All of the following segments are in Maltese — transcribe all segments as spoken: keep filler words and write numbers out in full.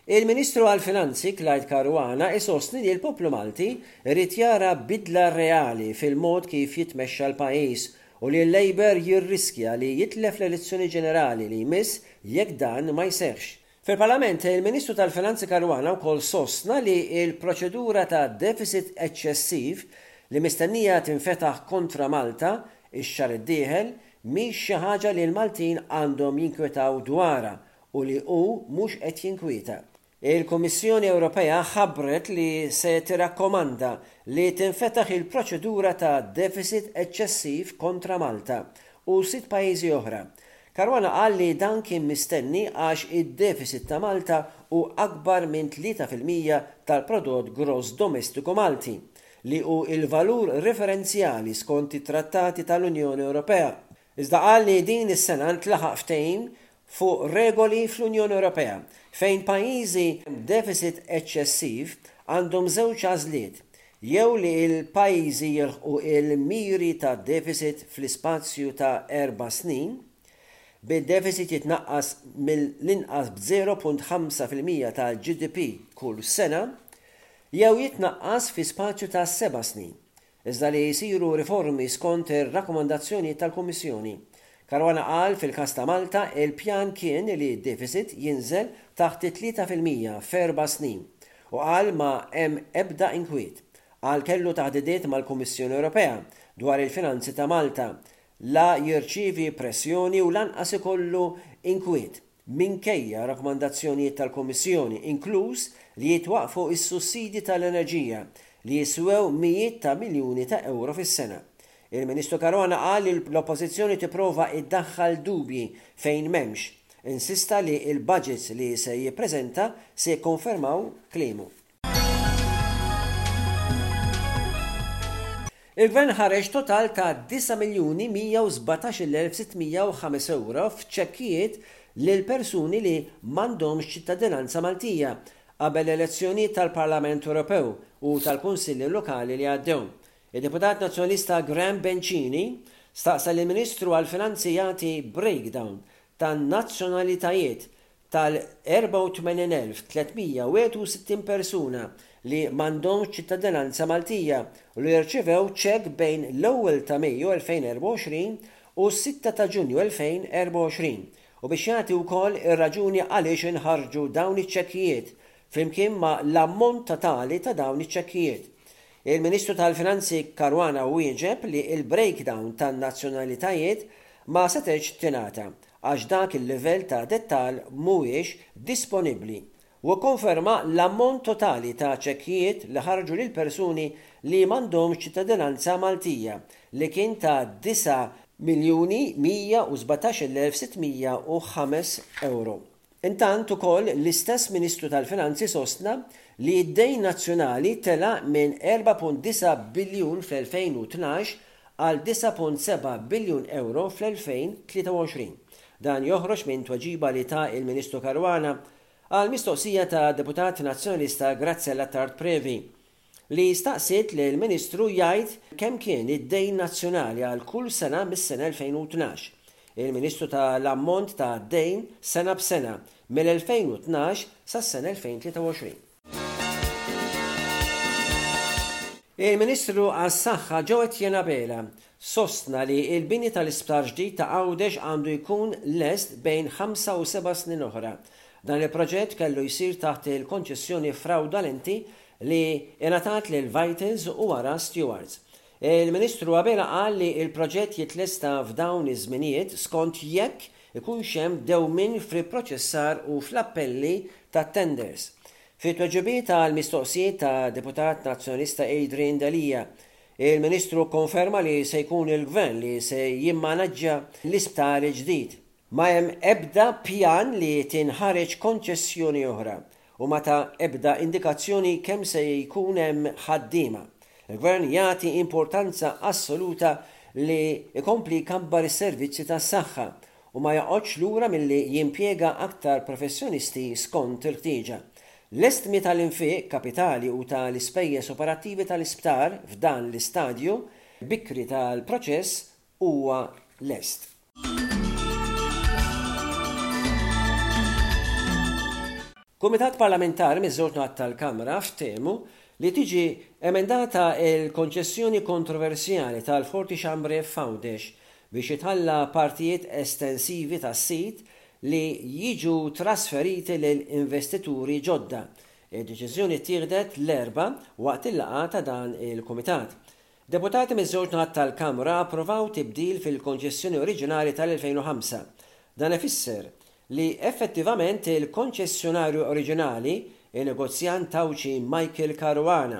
Il-Ministru għall-Finanzi Clyde Caruana isostni li l-poplu Malti irid jara bidla reali fil-mod kif jitmexxa l-pajjiż u li l-Labour jirriskja li jitlef l-elezzjoni ġenerali li jmiss jekk dan ma jseħħx. Fil-Parlament, il-Ministru tal-Finanzi Caruana wkoll sostna li l-proċedura ta' deficit eċċessiv li mistennija tinfetaħ kontra Malta ix-xahar id-dieħel mhix xi ħaġa li l-Maltin għandhom jinkwetaw dwarha u li hu mhux qed jinkwieta. Il-Kummissjoni Ewropea ħabbret li se tirakkomanda li tinfetaħ il-proċedura ta' deficit eċċessiv kontra Malta u sitt pajjiżi oħra. Caruana qal li dan kien mistenni għax id-deficit ta' Malta hu akbar minn tlieta fil-mija tal-prodott gross domestiku Malti, li hu il-valur referenzjali skont it-trattati tal-Unjoni Ewropea. Iżda qal li din is-sena ntlaħaq ftehim fuq regoli fl-Unjoni Ewropea fejn pajjiżi b'deficit eċċessiv għandhom żewġ għażliet, jew li l-pajjiżi jilħqu il-miri ta' deficit fl-ispazju ta' erba' snin, bid-deficit jitnaqqas mill-inqas b'zero punt ħamsa fil-mija tal-G D P kull sena, jew jitnaqqas fi spazju ta' seba' snin, iżda li jsiru riformi skont ir-rakkomandazzjoni tal-Kummissjoni. Caruana qal fil-każ ta' Malta il-pjan kien li d-deficit jinżel taħt it-tlieta fil-mija f'erba' snin u qal ma hemm ebda inkwiet. Qal kellu taħdidiet mal-Kummissjoni Ewropea dwar il-finanzi ta' Malta, la jirċievi pressjoni u lanqas ikollu inkwiet minkejja rakkomandazzjonijiet tal-Kummissjoni, inkluż li jitwaqfu s-sussidi tal-enerġija li jiswew mijiet ta' miljuni ta' euro fis-sena. Il-Ministru Caruana qal li l-Oppożizzjoni tipprova iddaħħal dubji fejn m'hemmx. Insista li l-budgets li se jippreżenta se jikkonfermaw kliemu. Il-Gvern ħareġ total ta' disa' miljuni mija u sbatax-il elf sittmija u ħames euro f'ċekkijiet lil persuni li m'għandhomx ċittadinanza Maltija qabel l-elezzjonijiet tal-Parlament Ewropew u tal-Kunsilli Lokali li għaddew. Il-Deputat Nazzjonalista Graham Bencini staqsa lill-Ministru għall-Finanzi jagħti breakdown tan-nazzjonalitajiet tal-erbgħa u tmenin elf tlietmija u wieħed u sittin persuna li m'għandhomx ċittadinanza Maltija u li rċevew ċekk bejn l-ewwel ta' Mejju elfejn erbgħa u għoxrin u s-sitta ta' Ġunju elfejn erbgħa u għoxrin u biex jagħti wkoll ir-raġuni għaliex inħarġu dawn iċ-ċekkijiet flimkien ma' l-ammont totali ta' dawn iċ-ċekkijiet. Il-Ministru tal-Finanzi Caruana wieġeb li il-breakdown tan-nazzjonalitajiet ma setgħetx tingħata għax dak il-livell ta' dettal mhuwiex disponibbli u kkonferma l-ammont totali ta' ċekkijiet li ħarġu lil persuni li m'għandhomx ċittadinanza Maltija li kien ta' disa' miljuni mija u sbatax-il elf sittmija u ħames euro. Intant ukoll l-istess Ministru tal-Finanzi sostna li d-dejn nazzjonali tela' minn erba' punt disa' biljun fl-elfejn u tnax għal disa' punt seba' biljun euro fl-elfejn tlieta u għoxrin. Dan joħroġ minn tweġiba li ta' il-Ministru Caruana għal mistoqsija ta' Deputat Nazzjonalista Graziella Attard Previ li staqsiet li l-Ministru jgħid kemm kien id-dejn nazzjonali għal kull sena mis-sena elfejn u tnax. Il-Ministru ta' l-ammont ta' dejn sena b'sena mill-elfejn u tnax sas-sena elfejn tlieta u għoxrin. Il-Ministru għas-Saħħa Jo Etienne Abela sostna li l-bini tal-isptar ġdid ta' Għawdex għandu jkun lest bejn ħamsa u seba' snin oħra. Dan il-proġett kellu jsir taħt il-konċessjoni fraudolenti li ingħatat lil Vitals u wara Stewards. Il-Ministru Abela qal li l-proġett jitlesta f'dawn iż-żminijiet skont jekk ikunx hemm dewmien fil-proċessar u fl-appelli tat-tenders. Fi tweġibiet għal mistoqsijiet ta' Deputat Nazzjonalista Adrian Delia, il-Ministru konferma li se jkun il-Gvern li se jimmanaġġja l-isptar il-ġdid. Ma hemm ebda pjan li tinħareġ konċessjoni oħra u ma ta' ebda indikazzjoni kemm se jkun hemm ħaddiema. Il-Gvern jagħti importanza assoluta li jkompli jkabbar is-servizzi tas-saħħa u ma joqgħodx lura milli jimpjega aktar professjonisti skont il-ħtieġa. L-estmi tal-infiq kapitali u tal-ispejjeż operattivi tal-isptar f'dan l-istadju bikri tal-proċess huwa lest. Kumitat parlamentari miż-żewġ naħat tal-Kamra ftehmu li tiġi emendata il-konċessjoni kontroversjali tal-Forti Chambray f'Għawdex biex jitħalla partijiet estensivi tas-sit li jiġu trasferiti lil investituri ġodda. Id-deċiżjoni ttieħdet l-Erbgħa waqt il-laqgħa ta' dan il-kumitat. Deputati miż-żewġ naħat tal-Kamra approvaw tibdil fil-konċessjoni oriġinali tal-elfejn u ħamsa. Dan ifisser li effettivament il-konċessjonarju oriġinali, il-negozjant Għawdxi Michael Caruana,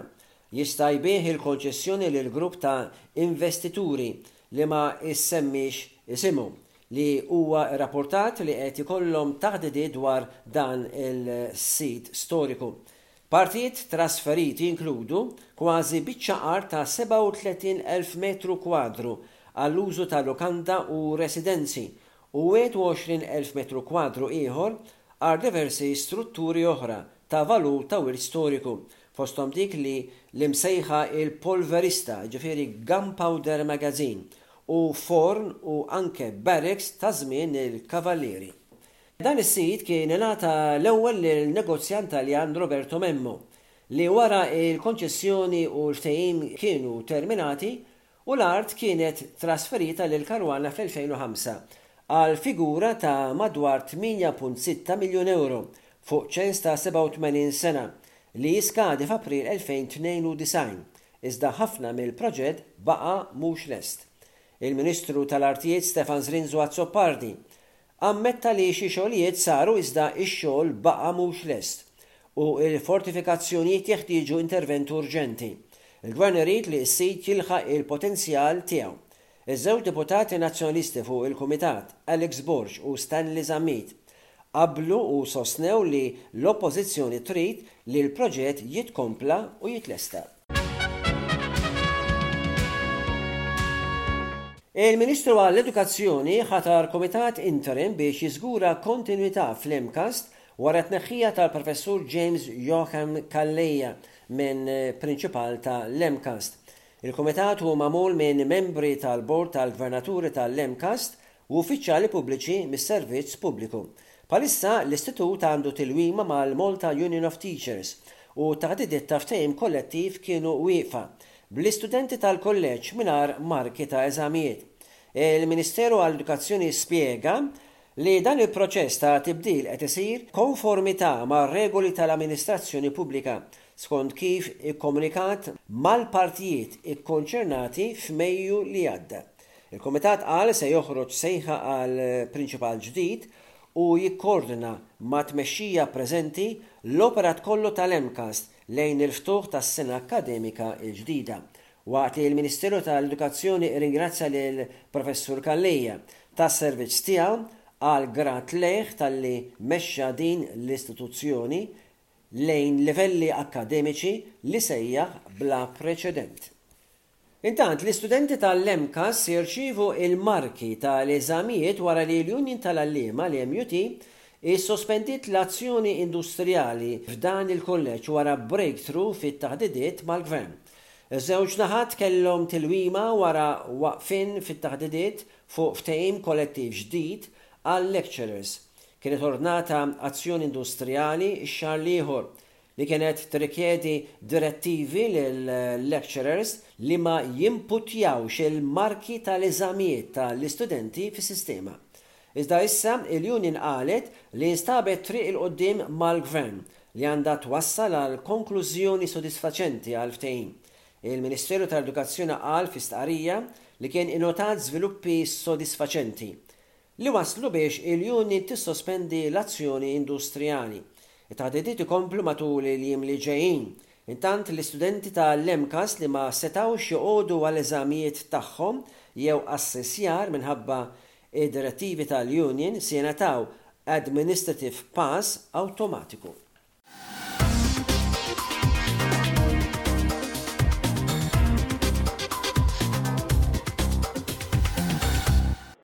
jista' jbigħ il-konċessjoni lil grupp ta' investituri li ma issemmix isimu, li huwa rrapportat li qed ikollhom taħdidiet dwar dan il-sit storiku. Partijiet trasferiti jinkludu kważi biċċa art ta' sebgħa u tletin elf metru kwadru għall-użu ta' lukanda u residenzi u wieħed u għoxrin elf metru kwadru ieħor għal diversi strutturi oħra ta' valur ta' wirt storiku, fosthom dik li l-imsejħa il-polverista, ġifieri Gunpowder Magazine, u forn u anke barracks ta' żmien il-Kavallieri. Dan is-sit kien ingħata l-ewwel lil negozjant Taljan Roberto Memmo, li wara il-konċessjoni u l-ftehim kienu terminati u l-art kienet trasferita lil Caruana fl-elfejn u ħamsa għal figura ta' madwar tmienja punt sitta miljun euro fuq ċens ta' sebgħa u tmenin sena li jiskadi f'April elfejn tnejn u disgħin, iżda ħafna mill-proġett baqa' mhux lest. Il-Ministru tal-Artijiet Stefan Zrinzo Azzopardi ammetta li xi xogħlijiet saru iżda x-xogħol baqa' mhux lest u l-fortifikazzjonijiet jeħtieġu intervent urġenti. Il-Gvern irid li s-sit jilħaq il-potenzjal tiegħu. Iż-żewġ deputati nazzjonalisti fuq il-Kumitat, Alex Borg u Stanley Zammit, qablu u sostnew li l-Oppożizzjoni trid li l-proġett jitkompla u jitlesta. Il-Ministru għall-Edukazzjoni ħatar Kumitat Interim biex jiżgura kontinwità fl-MCAST wara t-tneħħija tal-Professur James Joachim Calleja minn Prinċipal tal-MCAST. Il-Kumitat hu magħmul minn membri tal-Bord tal-Gvernaturi tal-MCAST u uffiċjali pubbliċi mis-servizz pubbliku. Bħalissa l-istitut għandu tilwima mal-Malta Union of Teachers u taħdidiet ta' ftehim kollettiv kienu wieqfa bl-istudenti tal-kolleġġ mingħajr marki ta' eżamijiet. Il-Ministeru għall-Edukazzjoni spjega li dan il-proċess ta' tibdil qed isir konformità mar-regoli tal-amministrazzjoni pubblika skont kif ikkomunikat mal-partijiet ikkonċernati f'Mejju li għadda. Il-Kumitat qal se joħroġ sejħa għal prinċipal ġdid u jikkoordina ma' tmexxija preżenti l-operat kollu tal-MCAST lejn il-ftuħ tas-sena akkademika l-ġdida. Waqt li l-Ministeru tal-Edukazzjoni ringrazzja lil Professur Calleja tas-servizz tiegħu għal grat lejh talli mexxa din l-istituzzjoni lejn livelli akkademiċi li sejjaħ bla preċedent. Intant, l-istudenti tal-MCAST jirċievu il-marki tal-eżamijiet wara li l-Union tal-Għalliema, l-M U T, issospendiet l-azzjoni industrijali f'dan il-kolleġġ wara breakthrough fit-taħdidiet mal-gvern. Iż-żewġ naħat kellhom tilwima wara waqfien fit-taħdidiet fuq ftehim kollettiv ġdid għal-lecturers. Kienet ordnata azzjoni industrijali x-xahar l-ieħor li kienet tirrikjedi direttivi lill-lecturers li ma jimputjawx il-marki tal-eżamijiet tal-istudenti fis-sistema. Iżda issa il-Union qalet li instabet triq il-qoddim mal-gvern li għandha twassal għal konklużjoni sodisfaċenti għal ftehim. Il-Ministeru tal-Edukazzjoni qal fi stqarrija li kien innotat żviluppi sodisfaċenti li waslu biex il-Union tissospendi l-azzjoni industrijali. It-taħdidiet ikomplu matul il-jiem li ġejjin. Intant l-istudenti tal-MCAST li ma setgħux joqogħdu għall-eżamijiet tagħhom jew assessjar minħabba id-direttivi tal-Union se jingħataw administrative pass awtomatiku.